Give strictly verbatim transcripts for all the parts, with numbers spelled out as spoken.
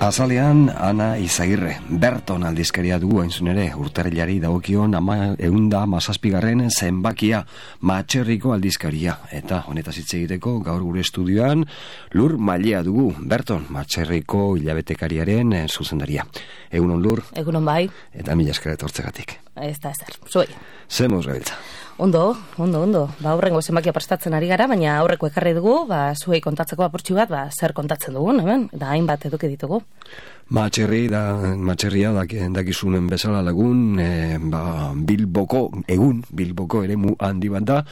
Azalean, Ana Izagirre, Berton aldizkaria dugu hainzun ere, urtarrilari dagokion ama eunda mazazpigarren zenbakia, Matxerriko aldizkaria. Eta honetaz hitz egiteko gaur gure estudioan, Lur Mailea dugu, Berton, Matxerriko hilabetekariaren zuzendaria. Egunon Lur. Egunon bai. Eta mila esker etortzegatik. Ez da ezer, zuei. Zemuz gabiltza. Ondo, ondo, ondo. Ba, aurrengo zenbakia prestatzen ari gara, baina aurreko ekarri dugu, ba, zuei kontatzeko apurtxu bat, ba, zer kontatzen dugun, hemen, da hainbat eduki ditugu. Matxerri da, matxerria dakizunen bezala lagun, e, ba, Bilboko, egun, Bilboko ere mu handi bat da,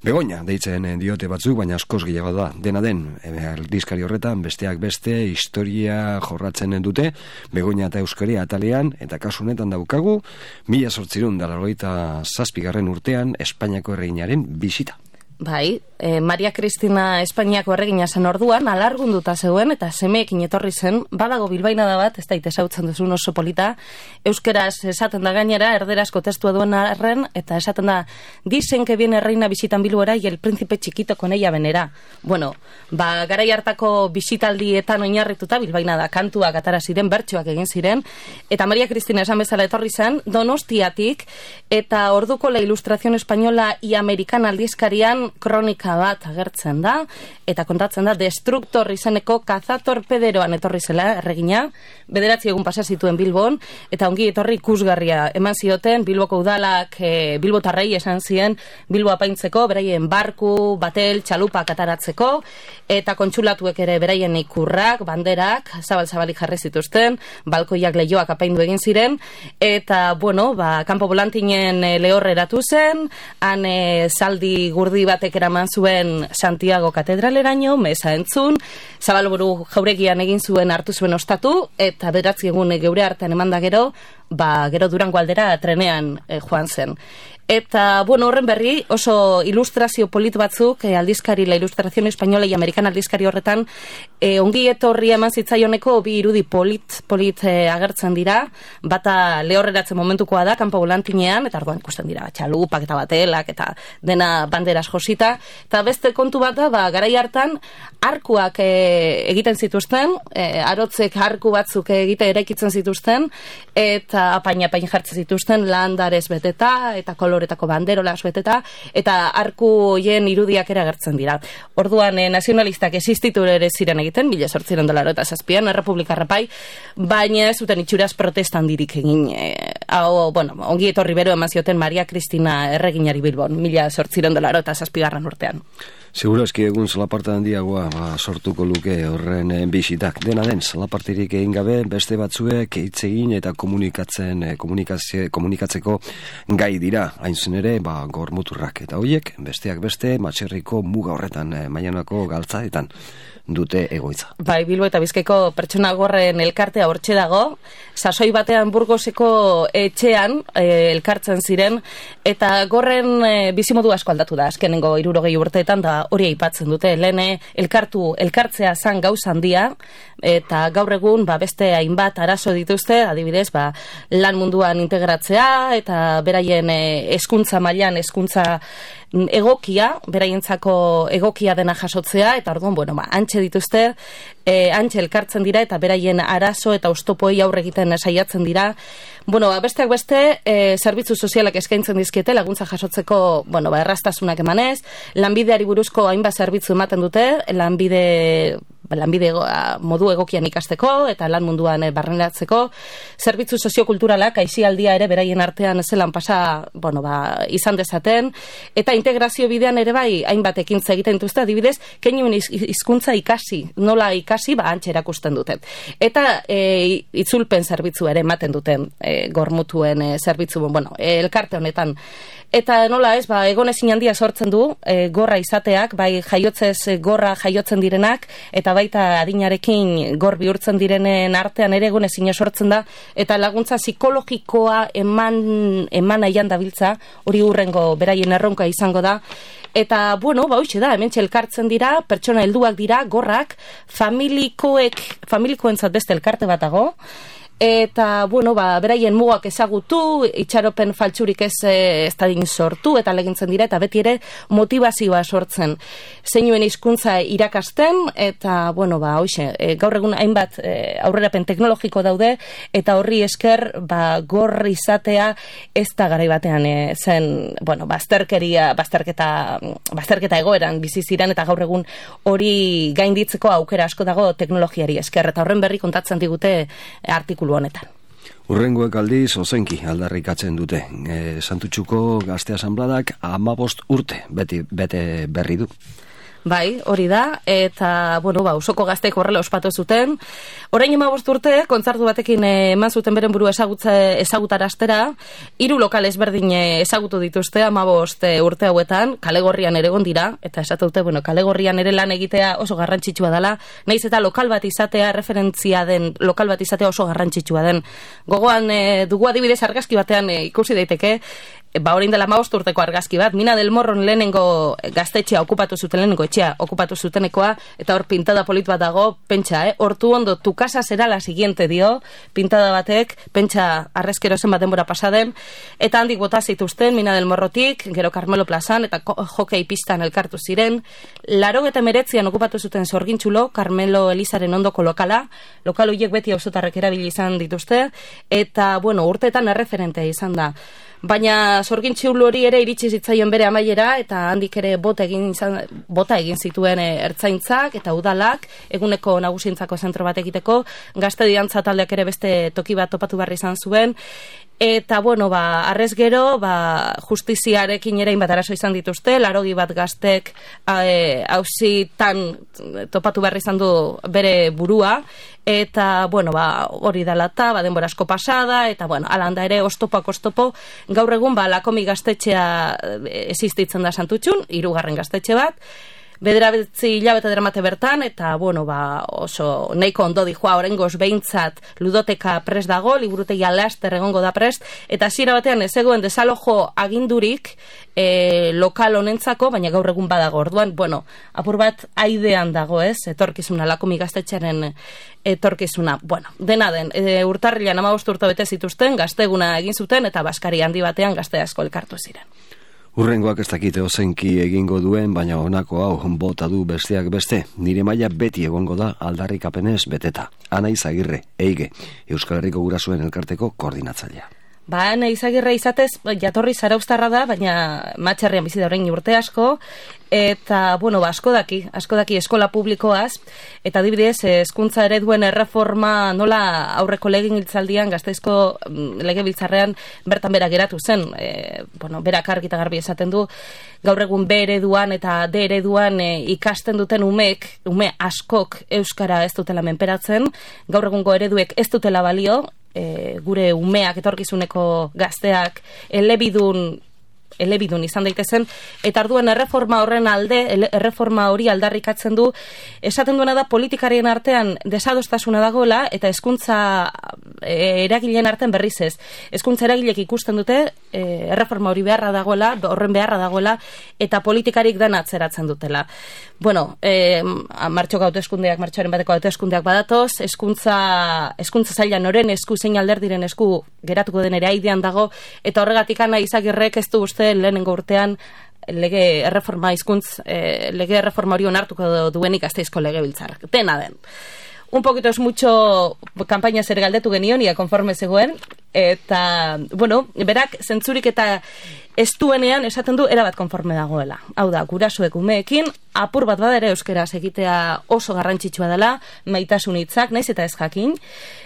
Begoña deitzen diote batzuk, baina askoz gehiago da. Dena den, aldizkari horretan, besteak beste, historia jorratzen dute, Begoña eta Euskaria atalean, eta kasu honetan daukagu, mila zortzirun da laurogeita zazpigarren urtean, Espainiako erreginaren bisita. Bai, e, Maria Cristina Espainiako erregina zen orduan, alargunduta zeuen, eta semeekin etorri zen, badago bilbaina da bat, ez da itesautzen duzun oso polita, euskeraz esaten da gainera, erderazko testua duen arren, eta esaten da, dicen que viene reina visitan Bilbora y el príncipe chiquito con ella venera. Bueno, ba, garai hartako bisitaldietan oinarrituta, bilbaina da, kantuak atara ziren, bertsoak egin ziren, eta Maria Cristina esan bezala etorri zen, Donostiatik, eta orduko La Ilustración Española y Americana aldizkarian kronika bat agertzen da, eta kontatzen da Destruktor izeneko kazatorpederoan etorri zela erregina, bederatzi egun pasa zituen Bilbon, eta ongi etorri ikusgarria eman zioten, Bilboko udalak e, bilbotarrei esan zien Bilbo apaintzeko, beraien barku, batel, txalupak ataratzeko, eta kontsulatuek ere beraien ikurrak, banderak, zabal-zabalik jarri zituzten, balkoiak lehioak apaindu egin ziren, eta, bueno, ba, kanpo volantinen e, lehorre eratu zen, han e, zaldi gurdi batek eraman zuen Santiago katedraleraino, meza entzun, Zabalburu jauregian egin zuen hartu zuen ostatu, eta bederatzi egun geure artean eman da gero, ba, gero Durango aldera trenean e, joan zen. Eta, bueno, horren berri, oso ilustrazio polit batzuk, eh, aldizkari, La Ilustración Española y Americana aldizkari horretan, eh, ongi etorri eman zitzaioneko bi irudi polit, polit eh, agertzen dira, bata lehorreratzen momentukoa da, kanpo volantinean, eta arduan ikusten dira, txalupak eta batelak, eta dena banderas josita, eta beste kontu bat da, ba, garai hartan, arkuak eh, egiten zituzten, eh, arotzek arku batzuk egite eraikitzen zituzten, eta apain-apain jartzen zituzten, landarez beteta, eta koloretako banderolas beteta, eta arku hoien irudiak ere agertzen dira. Orduan, eh, nazionalistak existitu ere ziren egiten, mila zortziren dolar eta zazpian, errepublika rapai, baina ez zuten itxuraz protestan dirik egin. Eh, hau, bueno, ongi etorri bero eman zioten Maria Cristina erreginari Bilbon, mila zortziren dolar eta zazpigarren urtean. Seguro eski egun zalaparta handiagoa ba, sortuko luke horren eh, bisitak. Dena den, zalapartirik egin gabe, beste batzuek hitz egin eta komunikatzen, eh, komunikatzeko gai dira. Hain zen ere, ba, gormuturrak eta hoiek, besteak beste, Matxerriko muga horretan, eh, Maianako galtzaetan dute egoitza. Bai, Bilbo eta Bizkaiko pertsona gorren elkartea hortxe dago, sasoi batean Burgoseko etxean e, elkartzen ziren, eta gorren e, bizimodu asko aldatu da, azkenengo hirurogei urteetan, da hori aipatzen dute, lehen elkartu, elkartzea zan gauza handia, eta gaur egun ba, beste hainbat arazo dituzte, adibidez, ba, lan munduan integratzea, eta beraien e, hezkuntza mailan hezkuntza egokia, beraientzako egokia dena jasotzea, eta orduan, bueno, ba, antxe dituzte, e, antxe elkartzen dira, eta beraien arazo eta oztopoei aurre egiten saiatzen dira. Bueno, ba, besteak beste, e, zerbitzu sozialak eskaintzen dizkiete, laguntza jasotzeko, bueno, ba, erraztasunak emanez, lanbideari buruzko hainbat zerbitzu ematen dute, lanbide lanbide modu egokian ikasteko eta lan munduan barneratzeko, zerbitzu soziokulturalak aisialdia ere beraien artean zelan pasa, bueno, ba, izan dezaten, eta integrazio bidean ere bai hainbat ekintza egiten dituzte, adibidez, keinuen hizkuntza ikasi, nola ikasi, ba, antxe erakusten dute. Eta e, itzulpen zerbitzu ere ematen duten e, gormutuen e, zerbitzu, bueno, e, elkarte honetan. Eta nola ez, ba, egon ezin handia sortzen du, e, gorra izateak, bai jaiotzez gorra jaiotzen direnak, eta baita adinarekin gor bihurtzen direnen artean ere egon ezin sortzen da, eta laguntza psikologikoa eman, eman nahian dabiltza, hori hurrengo beraien erronka izango da. Eta, bueno, ba, hoxe da, hemen elkartzen dira, pertsona helduak dira, gorrak, familikoek, familikoentzat beste elkarte bat dago, eta, bueno, ba, beraien mugak ezagutu, itxaropen faltsurik ez ez dadin sortu, eta legintzen dira, eta beti ere motivazioa sortzen. Zeinuen hizkuntza irakasten, eta, bueno, ba, hoxe, e, gaur egun hainbat e, aurrerapen teknologiko daude, eta horri esker, ba, gorri izatea ez da garai batean e, zen, bueno, bazterkeria, bazterketa, bazterketa egoeran bizi ziren, eta gaur egun hori gainditzeko aukera asko dago teknologiari esker, eta horren berri kontatzen digute artikulu honetan. Urrengoek aldiz ozenki aldarrikatzen dute. E, Santutxuko Gazte Asanbladak hamabost urte beti bete berri du. Bai, hori da, eta, bueno, ba, Usoko gazteek horrela ospatu zuten. Orain hamabost urte, kontzertu batekin eman zuten beren burua ezagutaraztera, hiru lokal ezberdin ezagutu dituzte hamabost urte hauetan, Kalegorrian ere egon dira, eta esatu dute, bueno, Kalegorrian ere lan egitea oso garrantzitsua dela, naiz eta lokal bat izatea, referentzia den, lokal bat izatea oso garrantzitsua den. Gogoan e, dugu adibidez argazki batean e, ikusi daiteke, ba, orain dela hamabost urteko argazki bat, Mina del Morron lehenengo gaztetxea okupatu zuten, lehenengo etxea okupatu zutenekoa, eta hor pintada polit bat dago, pentsa, eh? Hortu ondo, tu casa será la siguiente dio, pintada batek, pentsa arrezkero zen bat denbora pasaden, eta handik bota zituzten, Mina del Morrotik, gero Carmelo Plazan, eta hokei pistan elkartu ziren, laro eta meretzian okupatu zuten Zorgintxulo, Carmelo Elizaren ondoko lokala, lokal horiek beti auzotarrek erabili izan dituzte, eta, bueno, urteetan erreferentea izan da. Baina Zorgintxulo hori ere iritsi zitzaion bere amaiera, eta handik ere bota egin, izan, bota egin zituen e, ertzaintzak eta udalak, eguneko nagusientzako zentro bat egiteko, gazte diantza taldeak ere beste toki bat topatu behar izan zuen, eta, bueno, ba, arrez gero, ba, justiziarekin ere inbat arazo izan dituzte, larogi bat gaztek hauzitan topatu behar izan du bere burua, eta, bueno, ba, hori dela eta, ba, denbora asko pasada, eta, bueno, alanda ere, oztopoak oztopo, gaur egun, ba, Lakomi gaztetxea existitzen da Santutxun, hirugarren gaztetxe bat, bederatzi hilabete deramate bertan, eta, bueno, ba, oso neiko ondo dijoa, orengoz behintzat ludoteka prest dago, liburutegi alaster egongo da prest, eta hasiera batean ez zegoen desalojo agindurik e, lokal honentzako, baina gaur egun badago. Orduan, bueno, apur bat aidean dago, ez, etorkizuna, Lakomi gaztetxearen etorkizuna. Bueno, dena den, e, urtarrilan hamabost urte bete zituzten, gazteguna egin zuten, eta Baskari handi batean gazte asko elkartu ziren. Urrengoak ez dakite ozenki egingo duen, baina honako hau bota du besteak beste. Nire maila beti egongo da aldarrikapenez beteta. Ana Izagirre, Eige, Euskal Herriko Gurasoen Elkarteko koordinatzailea. Ba, Ana Izagirre izatez, jatorri zarauztarra da, baina Matxarrian bizi da orain urte asko, eta, bueno, ba, asko daki, asko daki eskola publikoaz, eta adibidez, hezkuntza ereduen erreforma nola aurreko legegintzaldian Gasteizko legebiltzarrean bertan bera geratu zen, e, bueno, berak argi eta garbi esaten du, gaur egun B ereduan eta D ereduan e, ikasten duten umeek, ume askok euskara ez dutela menperatzen, gaur egungo ereduek ez dutela balio, E, gure umeak, etorkizuneko gazteak elebidun elebidun izan daitezen, eta arduan erreforma horren alde, erreforma hori aldarrikatzen du, esaten duena da politikarien artean desadostasuna dagoela, eta hezkuntza e, eragileen artean berriz ez. Hezkuntza eragilek ikusten dute, e, erreforma hori beharra dagoela, horren beharra dagoela, eta politikarik dana atzeratzen dutela. Bueno, e, martxoko hauteskundeak, martxoaren bateko hauteskundeak badatoz, hezkuntza hezkuntza zaila noren esku, zein alderdiren esku geratuko den ere aidean dago, eta horregatik Ana Izagirrek ez du uste lehenengo urtean lege erreforma hizkuntz, eh, lege erreforma hori onartuko duenik Gasteizko legebiltzarrak. Dena den. Un poquito es mucho kampaina zer galdetu genion, ia konforme zegoen, eta, bueno, berak zentzurik eta ez duenean esaten du erabat konforme dagoela. Hau da, gurasoek umeekin, apur bat bada ere euskeraz egitea oso garrantzitsua dela, maitasun hitzak, naiz eta ez jakin.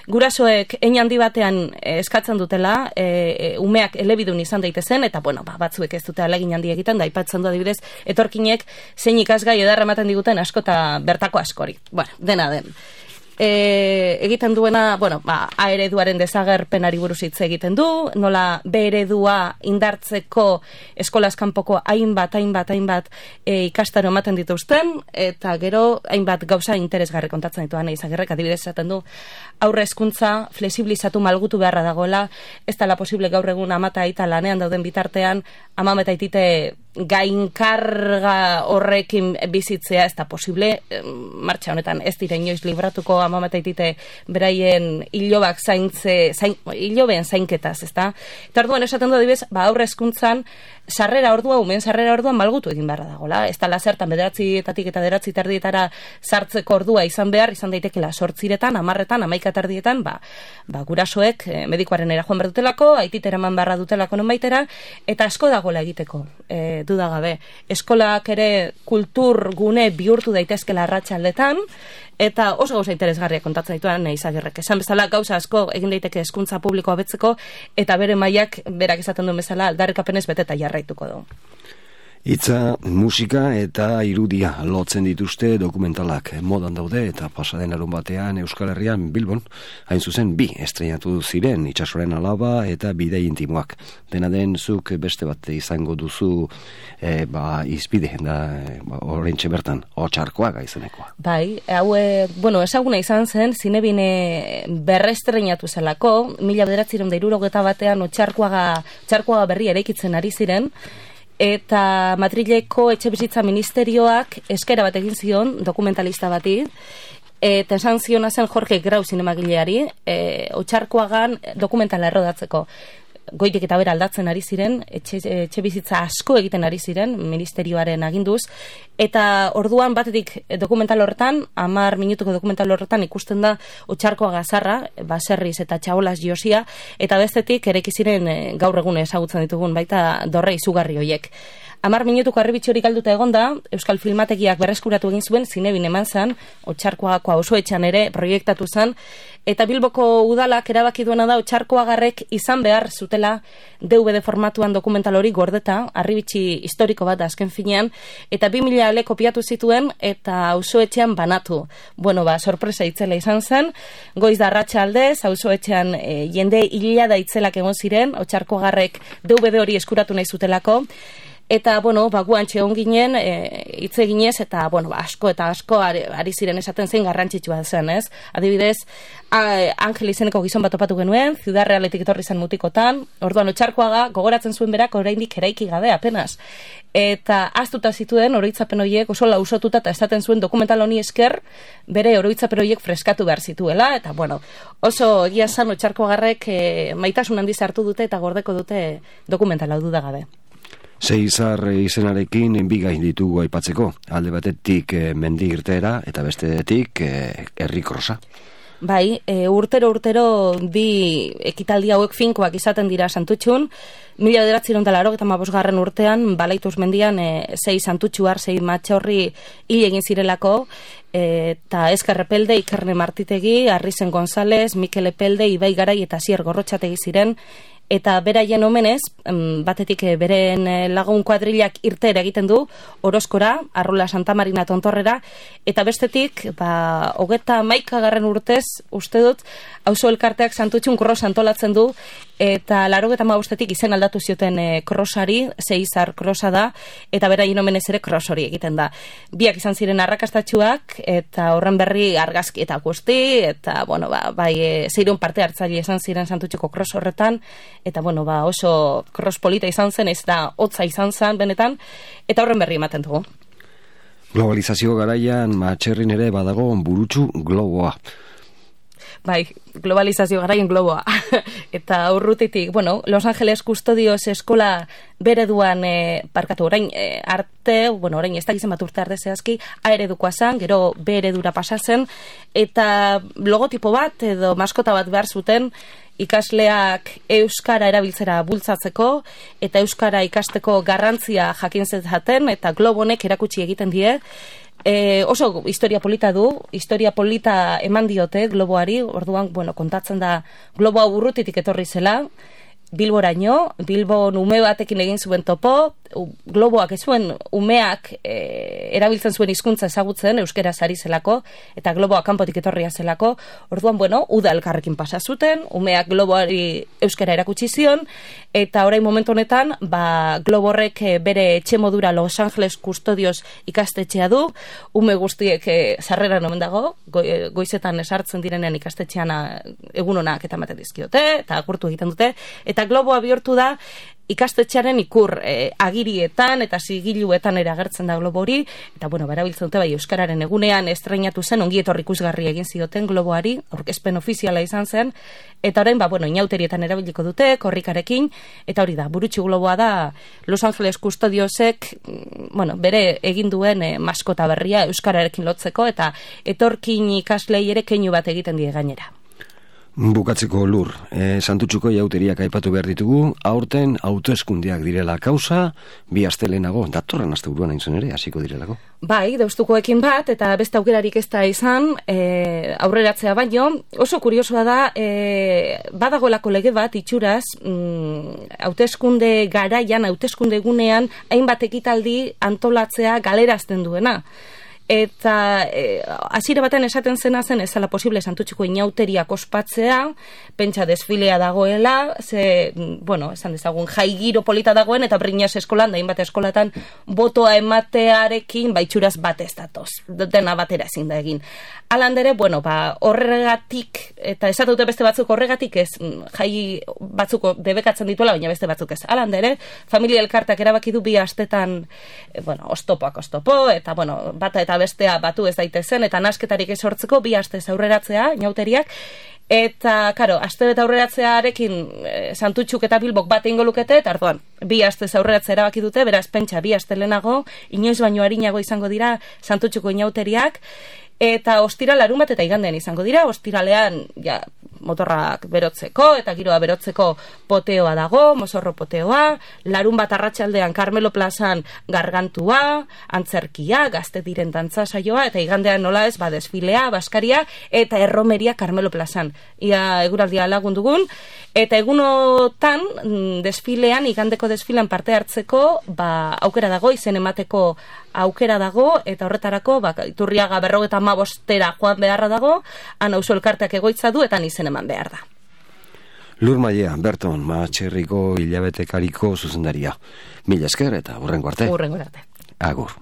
Gurasoek hein handi batean eskatzen dutela, e, umeak elebidun izan daitezen, eta, bueno, ba, batzuek ez dute alegin handi egiten, da aipatzen du adibidez, etorkinek zein ikasgai edarra ematen diguten asko eta bertako askori. Bueno, dena den. E, egiten duena, bueno, ba, A ereduaren desagerpenari buruz hitz egiten du, nola B eredua indartzeko eskolaz kanpoko hainbat, hainbat, hainbat e, ikastaro ematen dituzten, eta gero hainbat gauza interesgarri kontatzen ditu Ana Izagirrek, adibidez esaten du, aurre hezkuntza flexibilizatu malgutu beharra dagoela, ez dela posible gaur egun ama eta aita lanean dauden bitartean, ama eta aitite gainkarga horrekin bizitzea ez da posible, martxa honetan ez dire inoiz libratuko amamataitite beraien hilobak zaintze, zain, hilobeen zainketaz, ez da? Eta orduan esaten du adibidez, ba aurre hezkuntzan sarrera ordua, umen sarrera orduan malgutu egin beharra dagoela, ez da lazertan bederatzietatik eta bederatzi terdietara sartzeko ordua izan behar, izan daitekela sortziretan, amarretan, amaika terdietan, ba, ba gurasoek eh, medikoaren era joan behar dutelako, aititera eman barra dutelako nonbaitera, eta asko dagoela egiteko, e, dudagabe. Eskolak ere kultur gune bihurtu daitezkela arratsaldetan, eta oso gauza interesgarria kontatzen dituan Izagirrek. Esan bezala gauza asko egin daiteke hezkuntza publikoa betzeko, eta bere mailak berak esaten duen bezala aldarrikapenez beteta jarraituko du. Hitza, musika eta irudia lotzen dituzte dokumentalak modan daude eta pasaden larun batean Euskal Herrian Bilbon, hain zuzen bi estreinatu ziren Itsasoren alaba eta Bidei intimoak. Dena den zuk beste bat izango duzu e, ba, izpide da e, ba, orentxe bertan, Otsarkoaga izenekoa. Bai, hau, bueno, ezaguna izan zen, zinebine berrestreinatu zelako, mila bederatziehun eta hirurogeta batean Otsarkoaga, Otsarkoaga berri eraikitzen ari ziren, eta Madrileko etxebizitza ministerioak eskera bat egin zion dokumentalista bati, eta esan ziona zen Jorge Grau zinemagileari, e, Otsarkoagan dokumentala errodatzeko. Goitik eta bera aldatzen ari ziren, etxe, etxe bizitza asko egiten ari ziren, ministerioaren aginduz, eta orduan batetik dokumental horretan, hamar minutuko dokumental horretan ikusten da Otsarkoaga zarra, baserriz eta txabolaz josia, eta bestetik ereki ziren gaur egun ezagutzen ditugun baita dorre izugarri hoiek. Hamar minutuko harribitxorik galduta egonda, Euskal Filmategiak berreskuratu egin zuen, zinebin eman zan, Otsarkoagako auzoetxean ere proiektatu zan, eta Bilboko udalak erabaki duena da Otsarkoagarrek izan behar zutela D V D formatuan dokumental hori gordeta, harribitxi historiko bat azken finean, eta bi mila ale kopiatu zituen eta auzoetxean banatu. Bueno, ba, sorpresa itzela izan zen, goiz da arratsaldez, auzoetxean e, jende hilada itzelak egon ziren, Otsarkoagarrek D V D hori eskuratu nahi zutelako, eta, bueno, ba, guantxe hon ginen, e, hitz eginez, eta, bueno, ba, asko eta asko ari, ari ziren esaten zein garrantzitsua zen, ez? Adibidez, a, Angel izeneko gizon bat topatu genuen, Ciudad Realetik etorri zen mutikotan, orduan Otsarkoaga gogoratzen zuen berak oraindik eraiki gabe, apenas. Eta aztuta zituen oroitzapen horiek oso lausotuta eta esaten zuen dokumental honi esker bere oroitzapen horiek freskatu behar zituela, eta, bueno, oso egia zan Otsarkoagarrek e, maitasun handiz hartu dute eta gordeko dute dokumentala dudagabe. Seizar izenarekin bi gain ditugu aipatzeko, alde batetik e, mendi irteera eta bestetik e, herrikrosa. Bai, e, urtero urtero bi ekitaldi hauek finkoak izaten dira Santutxun, mila bederatziehun eta laurogeita hamabosgarren urtean Balaituz mendian e, sei Santutxuar, sei matxorri hil egin zirelako, eta Ezker Epelde, Ikerne Martitegi, Arrizen González, Mikel Epelde, Ibai Garai eta Sier Gorrotxategi ziren, eta beraien omenez, batetik beren lagun kuadrilak irtera egiten du, Orozkora, Arrula Santa Marina Tontorrera, eta bestetik, ba, hogeta maikagarren urtez, uste dut, auzo elkarteak Santutxun kros antolatzen du, eta larogeta mabostetik izen aldatu zioten e, krosari, Seizar krosa da, eta beraien omenez ere kros hori egiten da. Biak izan ziren arrakastatxuak, eta horren berri argazki eta guzti, eta, bueno, ba, bai, e, zeirun parte hartzaile izan ziren Santutxuko kros horretan, eta, bueno, ba, oso kros polita izan zen, ez da hotza izan zen benetan, eta horren berri ematen dugu. Globalizazio garaian matxerrin ere badago burutsu globoa. Bai, globalizazio garaian globoa. Eta urrutitik, bueno, Los Angeles Custodios eskola bereduan, e, parkatu, orain e, arte, bueno, orain ez da gizan bat urte arte zehazki, A eredukoa zen, gero B eredura pasatzen, eta logotipo bat edo maskota bat behar zuten, ikasleak euskara erabiltzera bultzatzeko eta euskara ikasteko garrantzia jakin zezaten eta globonek erakutsi egiten die. E, oso historia polita du, historia polita eman diote globoari, orduan, bueno, kontatzen da globoa urrutitik etorri zela, Bilboraino, Bilbon ume batekin egin zuen topo, globoak ez zuen umeak e, erabiltzen zuen hizkuntza ezagutzen, euskera sari zelako, eta globoak kanpotik etorria zelako, orduan, bueno, uda elkarrekin pasa zuten, umeak globoari euskera erakutsi zion, eta orain momentu honetan, ba, globorrek bere etxe modura Los Angeles Custodios ikastetxea du, ume guztiek e, sarreran omen dago, go, e, goizetan esartzen direnean ikastetxean egun honak eta ematen dizkiote, eta agurtu egiten dute, eta globoa bihurtu da ikastetxearen ikur e, agirietan eta zigiluetan ere agertzen da globo hori, eta bueno, berabiltzen dute bai Euskararen egunean estreinatu zen, ongi etorri ikusgarri egin zioten globoari, aurkezpen ofiziala izan zen, eta orain, ba, bueno, inauterietan erabiliko dute, korrikarekin, eta hori da, burutxu globoa da Los Angeles Custodiosek, bueno, bere egin duen e, maskota berria Euskararekin lotzeko, eta etorkin ikaslei ere keinu bat egiten die gainera. Bukatzeko Lur, e, Santutxuko jauteriak aipatu behar ditugu, aurten autoeskundiak direla kausa, bi astelenago, datorren asteburuan hain zen ere, hasiko direlako. Bai, deustukoekin bat, eta beste aukerarik ez da izan, e, aurreratzea baino, oso kuriosoa da, e, badagoelako lege bat, itxuraz, mm, hauteskunde garaian, hauteskunde egunean, hainbat ekitaldi antolatzea galerazten duena. Eta e, hasiera baten esaten zena zen ezala posible Santutxuko inauteriak ospatzea, pentsa desfilea dagoela, ze, bueno, esan dezagun, jai giro polita dagoen, eta Briñas eskolan, da hainbat eskolatan, botoa ematearekin, baitxuraz bat ez datoz, dena batera ezin da egin. Alandere, bueno, ba, horregatik, eta esatute beste batzuk horregatik ez, jai batzuko debekatzen dituela, baina beste batzuk ez. Alandere, familia elkartak erabaki du bi astetan, e, bueno, ostopoak ostopo, eta, bueno, bata eta bestea batu ez daitezen, eta nasketarik ez sortzeko bi astez aurreratzea, inauteriak, eta, karo, aste bet aurreratzearekin e, Santutxuk eta Bilbok bat egingo lukete, eta arduan, bi astez aurreratzea erabaki dute, beraz, pentsa, bi aste lehenago, inoiz baino arinago izango dira Santutxuko inauteriak, eta ostira larun bat eta igandean izango dira, ostiralean, ja, motorrak berotzeko, eta giroa berotzeko poteoa dago, mozorro poteoa, larun bat arratsaldean Carmelo Plazan gargantua, antzerkia, gazte diren dantza saioa, eta igandean nola ez, ba, desfilea, baskaria, eta erromeria Carmelo Plazan. Ia eguraldia lagundugun, eta egunotan desfilean, igandeko desfilean parte hartzeko, ba, aukera dago, izen emateko aukera dago, eta horretarako, ba, Iturriaga berrogeta hamabostera joan beharra dago, han auzo elkarteak egoitza du, eta izen eman behar da. Lur Mailea, Berton, Matxerriko hilabetekariko zuzendaria. Mila esker eta hurrengo arte. Hurrengo arte. Agur.